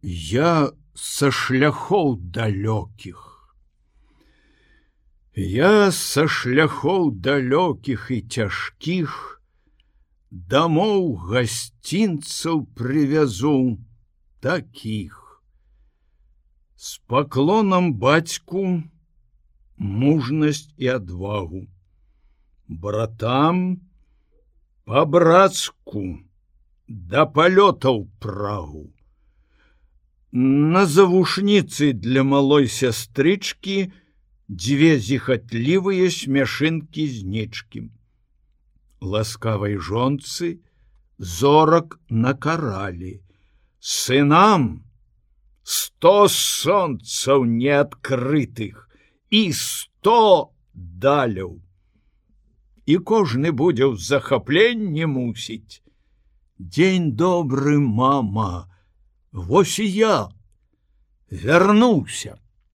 Я са шляхоў далёкіх. Я са шляхоў далёкіх і цяжкіх дамоў гасцінцаў прывязу такіх. З паклонам бацьку мужнасць і адвагу, братам па-брацку да палётаў прагу. На завушніцы для малой сястрычкі дзве зіхатлівыя смяшынкі з нечкім. Ласкавай жонцы зорак накаралі. Сынам 100 сонцаў неадкрытых і 100 даляў. І кожны будзе ў захапленні мусіць. Дзень добры, мама, вось і я вярнуўся.